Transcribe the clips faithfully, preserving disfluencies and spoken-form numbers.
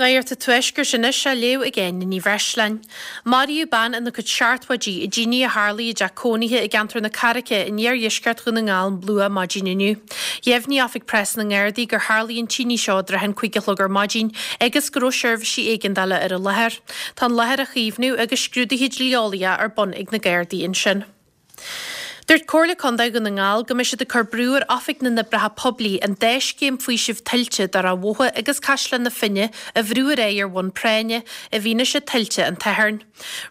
Nuacht an Tuaiscirt anois á léamh ag Áine Ní Bhreisleáin. Maraíodh bean ina cuid seachtóidí i dtine a tharlaigh i dteach cónaithe i gceantar na Carraice in iardheisceart Dhún na nGall luath maidin inniu. Dheimhnigh Oifig Preas na nGardaí gur tharlaigh an tine seo i dtrátha an cúig a chlog ar maidin agus go raibh seirbhísí éigeandála ar an láthair. Tá an láthair á caomhnú agus scrúduithe dlí-eolaíocha ar bun ag na Gardaí ansin. Dúirt Comhairle Contae Dhún na nGall go mbeidh siad ag cur brú ar Oifig na nOibreacha Poiblí an dá scéim faoisimh tuilte do Ráth Bhotha agus Caisleán na Finne a bhrú ar aghaidh ar bhonn práinne i bhfianaise tuilte an tSathairn.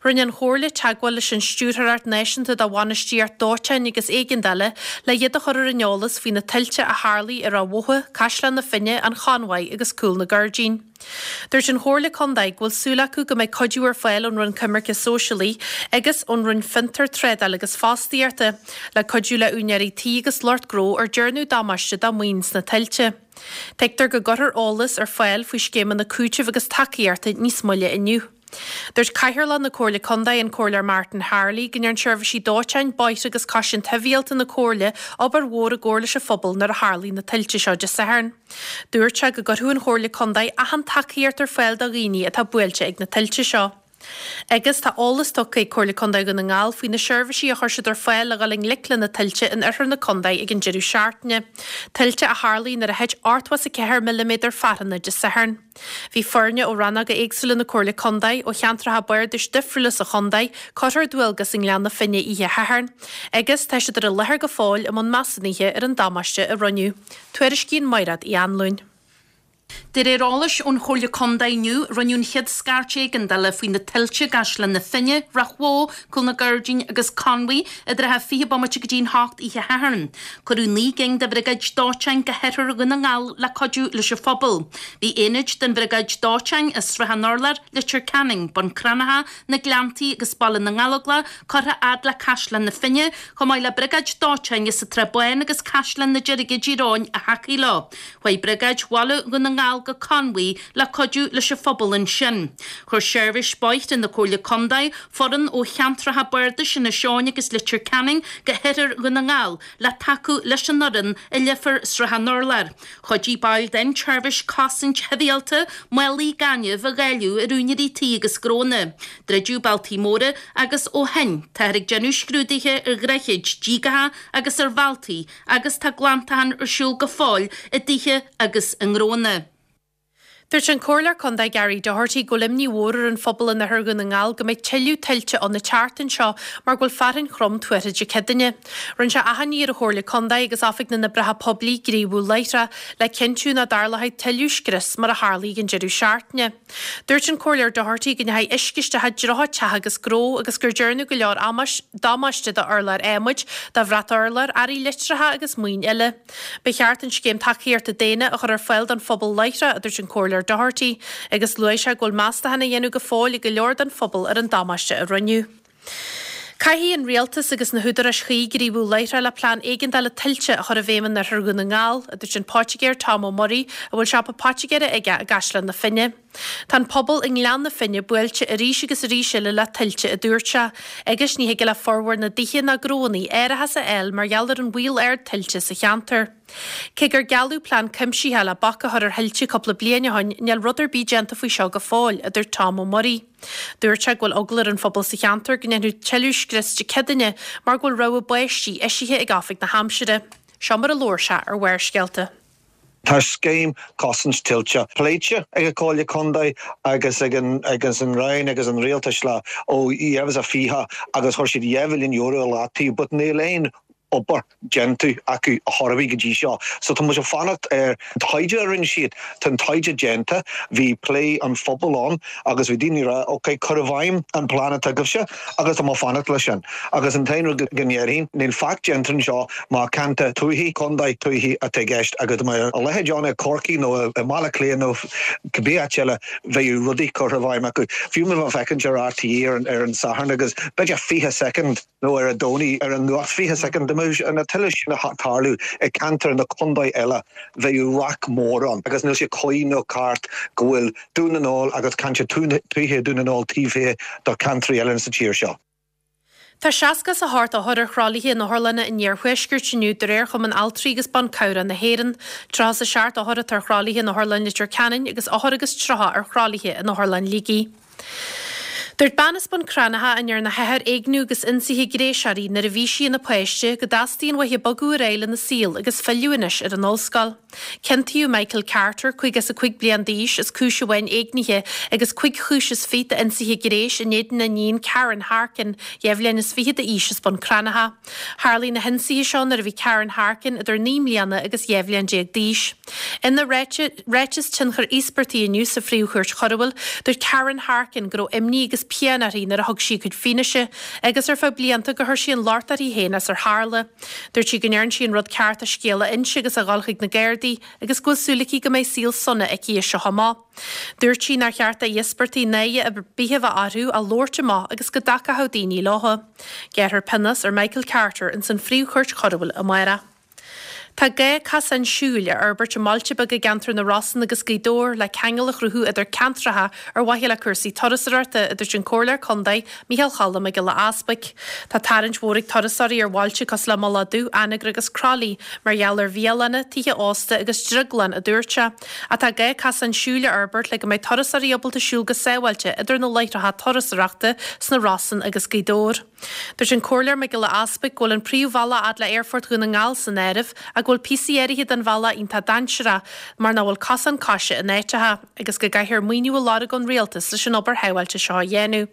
Rinne an Chomhairle teagmháil leis an Stiúrthóireacht Náisiúnta do Bhainistíocht Dóiteáin agus Éigeandála le iad a chur ar an eolas faoi na tuilte a tharlaigh i Ráth Bhotha, Caisleán na Finne, an Chonmhaigh agus Cúl na Gairdín. Dúirt an Chomhairle Contae go bhfuil súil acu go mbeidh cuidiú ar fáil ón Roinn Coimirce Sóisialaí agus ón Roinn Fiontar, Trádála agus Fostaíochta le cuidiú le úinéirí tí agus lucht gnó ar dearnadh damáiste dá maoin sna tuilte. Tuigtear go gcuirfear eolas ar fáil faoi scéimeanna cúitimh agus tacaíochta níos moille inniu. Dúirt Cathaoirleach na Comhairle Contae an Comhairleoir Martin Harley go ndearna seirbhísí dóiteáin, bóithre agus cosaint shibhialta na Comhairle obair mhór i gcomhar leis an phobal nuair a tharlaigh na tuilte seo Dé Sathairn. Dúirt sé go gcuirfeadh an Chomhairle Contae achan tacaíocht ar fáil do dhaoine atá buailte ag na tuilte seo. Agus tá eolas tugtha ag Comhairle Contae Dhún na nGall faoi na seirbhísí a chuir siad ar fáil le dhul i ngleic le na tuilte in oirthear na contae ag an deireadh seachtaine. Tuilte a tharlaigh nuair a thit ochtó is a ceathair milliméadar fearthanna Dé Sathairn. Bhí foirne ó rannóga éagsúla na Comhairle Contae, ó cheantracha bardais difriúla sa chontae, curtha ar dualgas i nGleann na Finne oíche Shathairn, agus tá siad ar an láthair go fóill i mbun measúnaithe ar an damáiste a rinneadh. Tuairiscíonn Mairéad Uí Anluain. De réir eolais ón Chomhairle Contae inniu, rinneadh an chéad scairt éigeandála faoi na tuilte i gCaisleán na Finne, Ráth Bhoth, Cúl na Gairdín agus Conmhaigh i dtrátha fiche bomaite go dtí an hocht oíche Shathairn. Cuireadh naoi gcinn de bhriogáid dóiteáin go hoirthear Dhún na nGall le cuidiú leis an phobal. Bhí aonaid den bhriogáid dóiteáin i Srath an Urláir, Leitir Ceanainn, Bun Cranncha, Na Gleanntaí agus Baile na nGallóglach curtha fhad le Caisleán na Finne, chomh maith le briogáid dóiteáin as an tSrath Bán agus Caisleán na Deirge i dTír Eoghain a thacaigh leo. Chuaigh briogáid Bhaile Dhún na nGall go Conmhaigh le cuidiú leis an phobal ansin. Chuir Seirbhís Bóithre na Comhairle Contae foireann ó cheantracha bardais Inis Eoghain agus Leitir Ceanainn go hoirthear Dhún na nGall le tacú leis an fhoireann i Leifear Srath an Urláir. Chuidigh baill den tseirbhís cosaint shibhialta málaí gainimh a dháileadh ar úinéirí tí agus gnónna. Druideadh bealtaí móra agus ó shin táthar ag déanamh scrúduithe ar dhroichid, díogacha agus ar bhealtaí agus tá glantachán ar siúl go fóill i dtithe agus i ngnónna. Dúirt an Comhairleoir Contae Gary Doherty go bhfuil imní mhór ar an phobal in oirthear Dhún na nGall go mbeidh tuilleadh tuilte ann an tseachtain seo mar go bhfuil fearthainn throm tuartha Dé Céadaoine. Rinne sé achainí ar an Chomhairle Contae agus Oifig na nOibreacha Poiblí gníomhú láithreach le cinntiú nach dtarlóidh tuilleadh scrios mar a tharlaigh ag an deireadh seachtaine. Dúirt an Comhairleoir Doherty go ndeachaigh uisce isteach i dtríocha teach agus gnó agus gur dearnadh go leor damáiste d'urláir adhmaid, do bhrat urláir, earraí litreacha agus maoin eile. Ba cheart an scéim tacaíochta daonna a chur ar fáil don phobal láithreach, a dúirt an Comhairleoir Doherty, agus luaigh sé go bhfuil meastachán á dhéanamh go fóill ag go leor den phobal ar an damáiste a rinneadh. Caithfidh an rialtas agus na húdaráis chuí gníomhú láithreach le plean éigeandála tuilte a chur i bhfeidhm in oirthear Dhún na nGall, a dúirt an poitigéir Tom Ó Muirí, a bhfuil siopa poitigéara aige i gCaisleán na Finne. Tá an pobal i nGleann na Finne buailte arís agus arís eile le tuilte, a dúirt sé, agus ní thig le formhór na dtithe ná gnóanna árachas a fháil mar gheall ar an bhaol ard tuilte sa cheantar. Cé gur gealladh plean cuimsitheach le bac a chur ar thuilte cúpla bliain ó shin, níl rud ar bith déanta faoi seo go fóill, a dúirt Tom Ó Muirí. Dúirt sé go bhfuil eagla ar an phobal sa cheantar go ndéanfadh tuilleadh scrios Dé Céadaoine mar go bhfuil rabhadh báistí eisithe ag Oifig na hAimsire. Seo mar a labhair sé ar Bharrscéalta. Tá scéim cosaint tuilte pléite ag an Comhairle Contae agus ag an agus an Roinn agus an Rialtais le ó dhá mhíle is a fiche agus chuir siad dhá mhilliún euro i leataobh, but níl aon obair déanta acu a chor ar bith go dtí seo. So tá muid ag fanacht ar an taighde a rinne siad. Tá an taighde déanta, bhí plé an phobail ann agus bhí daoine ag rá ok cuir i bhfeidhm an plean atá agaibhse agus tá mé ag fanacht leis sin. Agus an t-aon rud go ndéarfainn, níl faic déanta anseo má ceantar tuaithe, contae tuaithe atá i gceist agus dá mbeadh a leithéid ann i Corcaigh nó i mBaile Átha Cliath nó cibé áit eile bheadh rudaí curtha i bhfeidhm acu. Fiú má bheifeá ag féachaint ar RTÉ ar an ar an Satharn agus b'fhéidir fiche soicind nó ar an Domhnach ar an nuacht fiche soicind dá mbeadh na tuilte sin ag tarlú i gceantar na contae eile bheadh raic mór ann agus níl sé cuí nó ceart go bhfuil Dún na nGall agus ceantar tuaithe Dún na nGall taobh thiar de cheantraí eile sa tír seo. Tá seasca is a hocht othar ar thralaithe in otharlanna an iarthuaiscirt inniu de réir Chumann Altraí agus Ban Cabhrach na hÉireann. Tríocha is a seacht othar atá ar thralaithe in Otharlann Leitir Ceanainn agus ochtó agus tríocha ar thralaithe in Otharlann Shligigh. Dúirt bean as Bun Cranncha a ndearna a hathair éigniú agus ionsaithe gnéis uirthi nuair a bhí sí ina páiste go dteastaíonn uaithi bogadh ar aghaidh lena saol agus filleadh anois ar an ollscoil. Ciontaíodh Michael Carter, caoga is a cúig bliain d'aois, as cúis amháin éignithe agus cúig chúis is fiche d'ionsaithe gnéis in éadan a iníon Karen Harkin, dhá bhliain is fiche d'aois as Bun Cranncha. Tharlaigh na hionsaithe seo nuair a bhí Karen Harkin idir naoi mbliana agus dhá bhliain déag d'aois. Ina ráiteas tionchair íospartaigh inniu sa Phríomh-Chúirt Choiriúil, dúirt Karen Harkin go raibh imní agus pian uirthi nuair a thug sí a cuid fianaise, agus ar feadh blianta gur chuir sí an locht uirthi féin as ar tharla. Dúirt sí go ndearna sí an rud ceart a scéal a inse agus a dhul chuig na Gardaí agus go bhfuil súil aici go mbeidh saol sona aici as seo amach. Dúirt sí nár cheart d'íospartaigh náire ar bith a bheith orthu a labhairt amach agus go dtacódh daoine leo. Gearrfar pionós ar Michael Carter ins an Phríomh-Chúirt Choiriúil amárach. Tá gá casán siúil a fhorbairt i mbailte beaga i gceantar na Rosann agus Gaoth Dobhair le ceangal a chruthú idir ceantracha ar mhaithe le cúrsaí turasóireachta, a dúirt an Comhairleoir Contae, Micheál Choilm Mac Giolla Easbuic. Tá tarraingt mhór ag turasóirí ar bhailte cosúil le Mullach Dubh, Anagaire agus Croithlí mar gheall ar bhialanna, tithe ósta agus drioglann, a dúirt sé. Ach tá gá casán siúil a fhorbairt le go mbeidh turasóirí ábalta siúl go sábháilte idir na láithreacha turasóireachta sna Rosann agus Gaoth Dobhair. Dúirt an Comhairleoir Mac Giolla Easbuic go bhfuil an príomhbhealach fhad le Aerfort Dhún na nGall san áireamh ach go bhfuil píosaí áirithe den bhealach iontach dainséarach mar nach bhfuil cosán coise in áiteacha agus go gcaithfear maoiniú a lorg ón rialtas leis an obair shábháilte seo a dhéanamh.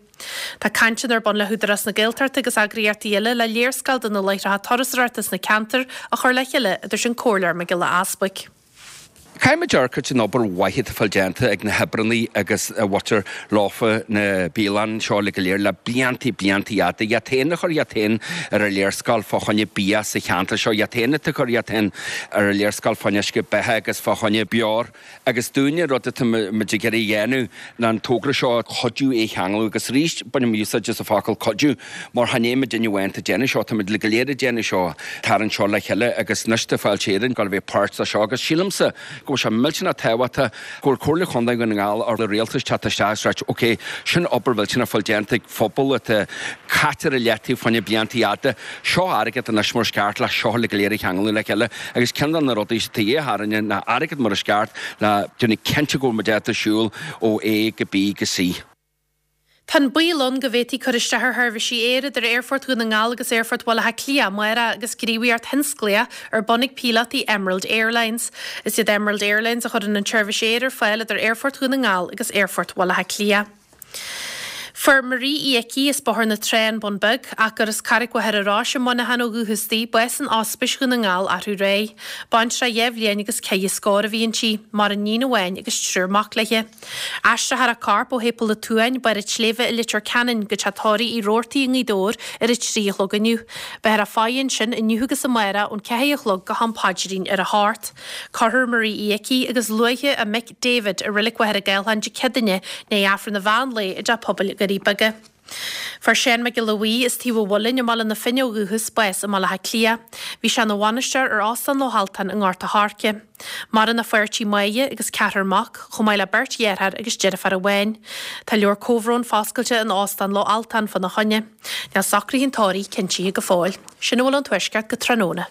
Tá cainteanna ar bun le hÚdarás na Gaeltachta agus eagraíochtaí eile le léarscáil de na láithreacha turasóireachta sna ceantair a chur le chéile, a dúirt an Comhairleoir Mac Giolla Easbuic. Caithfidh muid amharc ar an obair mhaith atá fáil déanta ag na hoibreannaí agus a mhuintir lofa na bialann seo le go léir le bliantaí bliantaí fhada. Iad féin a chur iad féin ar an léarscáil fá choinne bia sa cheantar seo, iad féin atá ag cur iad féin ar an léarscáil fá choinne uisce beatha agus fá choinne beoir. Agus dúinne rud atá muid ag iarraidh a dhéanamh ná an togra seo a chuidiú é a cheangal agus arís bainim úsáid as an focal cuidiú mar chan é muidinne amháin atá ag déanamh seo, tá muid le go léir ag déanamh seo, tarraingt seo le chéile agus anois tá Fáilte Éireann ag gabháil a bheith páirt de seo agus sílimse go bhfuil sé millteanach tábhachtach go bhfuil Comhairle Chontae Dhún na nGall ar rialtas teacht isteach agus ráit ok, sin obair mhillteanach fáil déanta ag phobal atá caite ar a leataobh fá choinne blianta fhada. Seo airgead anois mar is ceart le seo le go léir a cheangal le chéile agus ceann de na rudaí atá de dhíth orainne ná airgead mar is ceart le déanamh cinnte go bhfuil muid ábalta siúl ó A go B go C. Tá an baol ann go bhféadfaí cur isteach ar sheirbhísí aeir idir Aerfort Dhún na nGall agus Aerfort Bhaile Átha Cliath amárach agus gníomhaíocht thionsclaíoch ar bun ag píolótaí Emerald Airlines. Is iad Emerald Airlines a chuireann an tseirbhís aeir ar fáil idir Aerfort Dhún na nGall agus Aerfort Bhaile Átha Cliath. Fuair Marie Uí Icí as Bóthar na Trá, An Bun Beag, ach gur as Carraig Mhachaire Rois i Muineachán ó dhúchas di, bás in Ospís Dhún na nGall arú aréir. Baintreach dhá bhliain agus ceithre scór a bhí inti, maireann iníon amháin agus triúr mac léi. Aistreofar a corp ó Shéipéal an tSuain, Barr an tSléibhe i Leitir Ceanainn go teach tórraimh Uí Robhartaigh i nGaoth Dobhair ar a trí a chlog inniu. Beifear ag faire ansin inniu agus amárach ón ceathair a chlog go ham paidrín ar a hocht. Cuirfear Marie Uí Icí agus luaithre a mic David i Reilig Mhachaire Gathlán Dé Céadaoine i ndiaidh Aifreann an mheán lae i dTeach Pobail Dhoirí Beaga. Fuair Seán Mac Giolla Bhuí as Taobh an Mhuilinn i mBaile na Finne ó dhúchas, bás i mBaile Átha Cliath. Bhí sé ina bhainisteoir ar Óstán Loch Altan i nGort a' Choirce. Maireann a pháirtí Máire agus ceathrar mac, chomh maith le beirt dheartháir agus deirfiúr amháin. Tá leabhar comhbhróin foscailte in Óstán Loch Altan fána choinne. Níl socruithe an tórraimh cinntithe go fóill. Sin a bhfuil ón Tuaisceart go tráthnóna.